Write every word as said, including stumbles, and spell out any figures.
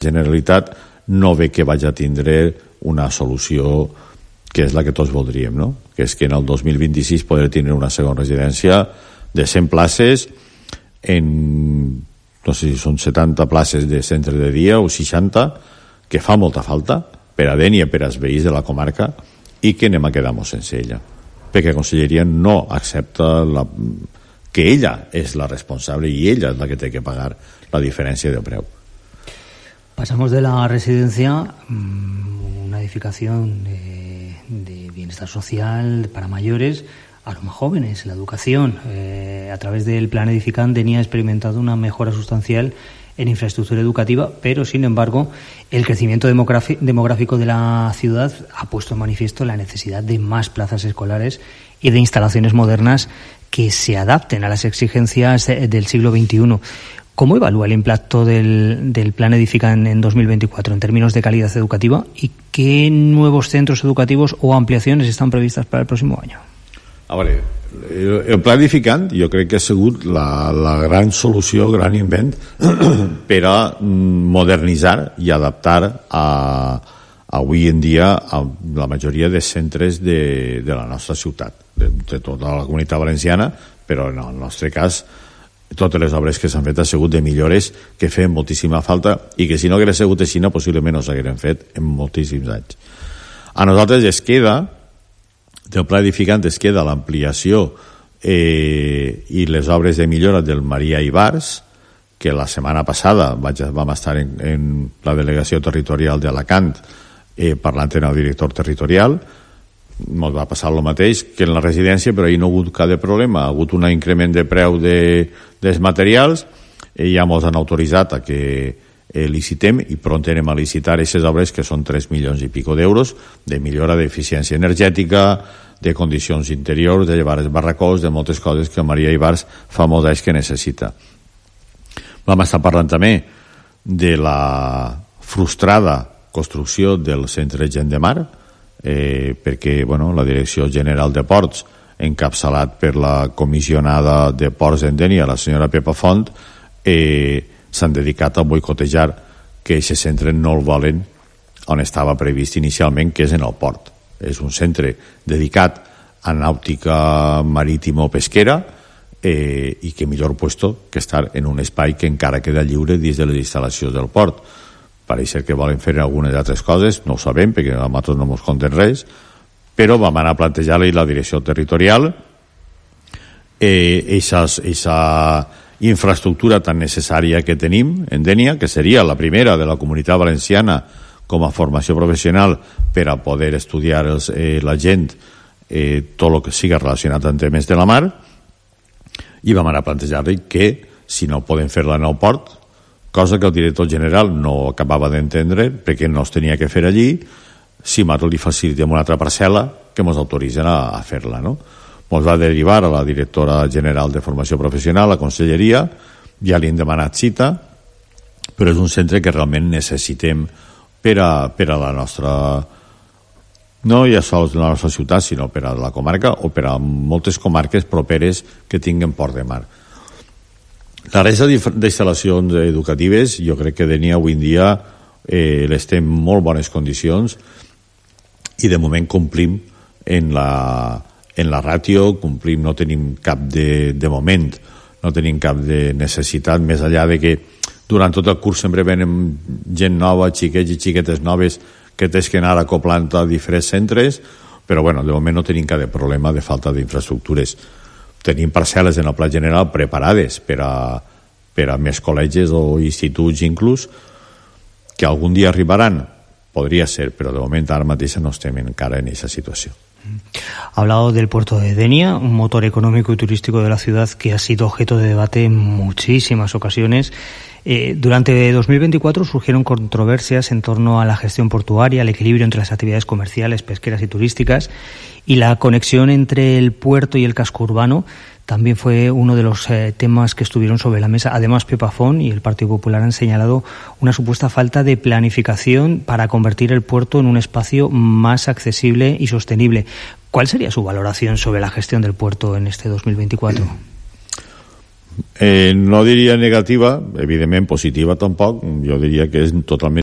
Generalitat no ve que vagi a tindre una solució que és la que tots voldríem, no? Que és que en el dos mil vint-i-sis poder tindre una segona residència de cent places en, no sé si són setanta places de centre de dia o seixanta, que fa molta falta per a Dénia, per als veïns de la comarca, i que anem a quedar-nos sense ella, perquè la Conselleria no accepta la, que ella és la responsable i ella és la que té que pagar la diferència de preu. Pasamos de la residencia, una edificación de, de bienestar social para mayores, a los más jóvenes, la educación. Eh, a través del plan Edificant Dénia ha experimentado una mejora sustancial en infraestructura educativa, pero sin embargo el crecimiento demográfico de la ciudad ha puesto en manifiesto la necesidad de más plazas escolares y de instalaciones modernas que se adapten a las exigencias del siglo veintiuno. ¿Cómo evalúa el impacto del, del plan Edificant en dos mil veinticuatro en términos de calidad educativa y qué nuevos centros educativos o ampliaciones están previstas para el próximo año? A veure, el, el pla Edificant jo crec que ha sigut la, la gran solució, el gran invent per a modernitzar i adaptar a, avui en dia a la majoria de centres de, de la nostra ciutat, de, de tota la Comunitat Valenciana, però en el nostre cas totes les obres que s'han fet han sigut de millores que feien moltíssima falta i que si no hagués sigut així possiblement no s'hagueren fet en moltíssims anys. A nosaltres es queda, del pla Edificant es queda l'ampliació eh, i les obres de millora del Maria Ibars, que la setmana passada vaig, vam estar en, en la delegació territorial d'Alacant eh, parlant amb el director territorial. Ens va passar el mateix que en la residència, però ahir no ha hagut cap de problema, ha hagut un increment de preu de, dels materials, i ja ens han autoritzat a que eh, licitem i pront anem a licitar aquestes obres que són tres milions i pico d'euros de millora d'eficiència energètica, de condicions interiors, de llevar els barracons, de moltes coses que Maria Ibars fa molts anys que necessita. Vam estar parlant també de la frustrada construcció del centre Gent de Mar, Eh, perquè bueno, la Direcció General de Ports, encapçalat per la comissionada de Ports en Dénia, la senyora Pepa Font, eh, s'han dedicat a boicotejar que aquest centre no el volen on estava previst inicialment, que és en el port. És un centre dedicat a nàutica marítima o pesquera eh, i que millor puesto que estar en un espai que encara queda lliure dins de les instal·lacions del port. Pareix que volen fer algunes altres coses, no ho sabem perquè a nosaltres no ens conten res, però vam anar a plantejar-li la direcció territorial aquesta eh, infraestructura tan necessària que tenim en Dénia, que seria la primera de la Comunitat Valenciana com a formació professional per a poder estudiar els, eh, la gent eh, tot el que siga relacionat amb temes de la mar, i vam anar a plantejar-li que si no poden fer-la en el port, cosa que el director general no acabava d'entendre perquè no es tenia que fer allí, si nosaltres li facilitem una altra parcel·la que ens autoritzen a, a fer-la, no? Ens va derivar a la directora general de formació professional, a la Conselleria, ja li hem demanat cita, però és un centre que realment necessitem per a, per a la nostra, no ja sols la nostra ciutat, sinó per a la comarca o per a moltes comarques properes que tinguen port de mar. La resta d'instal·lacions educatives jo crec que Dénia avui en dia eh, les té en molt bones condicions i de moment complim en la, en la ràtio, complim, no tenim cap de, de moment, no tenim cap de necessitat, més enllà de que durant tot el curs sempre venen gent nova, xiquets i xiquetes noves que tens que anar acoplant a diferents centres, però bueno, de moment no tenim cap de problema de falta d'infraestructures. Tenim parcel·les en el pla general preparades per a, per a més col·legis o instituts inclús, que algun dia arribaran, podria ser, però de moment ara mateix no estem encara en aquesta situació. Ha hablado del puerto de Dénia, un motor económico y turístico de la ciudad que ha sido objeto de debate en muchísimas ocasiones. Eh, durante dos mil veinticuatro surgieron controversias en torno a la gestión portuaria, el equilibrio entre las actividades comerciales, pesqueras y turísticas, y la conexión entre el puerto y el casco urbano también fue uno de los eh, temas que estuvieron sobre la mesa. Además, Pepa Font y el Partido Popular han señalado una supuesta falta de planificación para convertir el puerto en un espacio más accesible y sostenible. ¿Cuál sería su valoración sobre la gestión del puerto en este dos mil veinticuatro? Eh, no diria negativa, evidentment positiva tampoc, jo diria que és totalment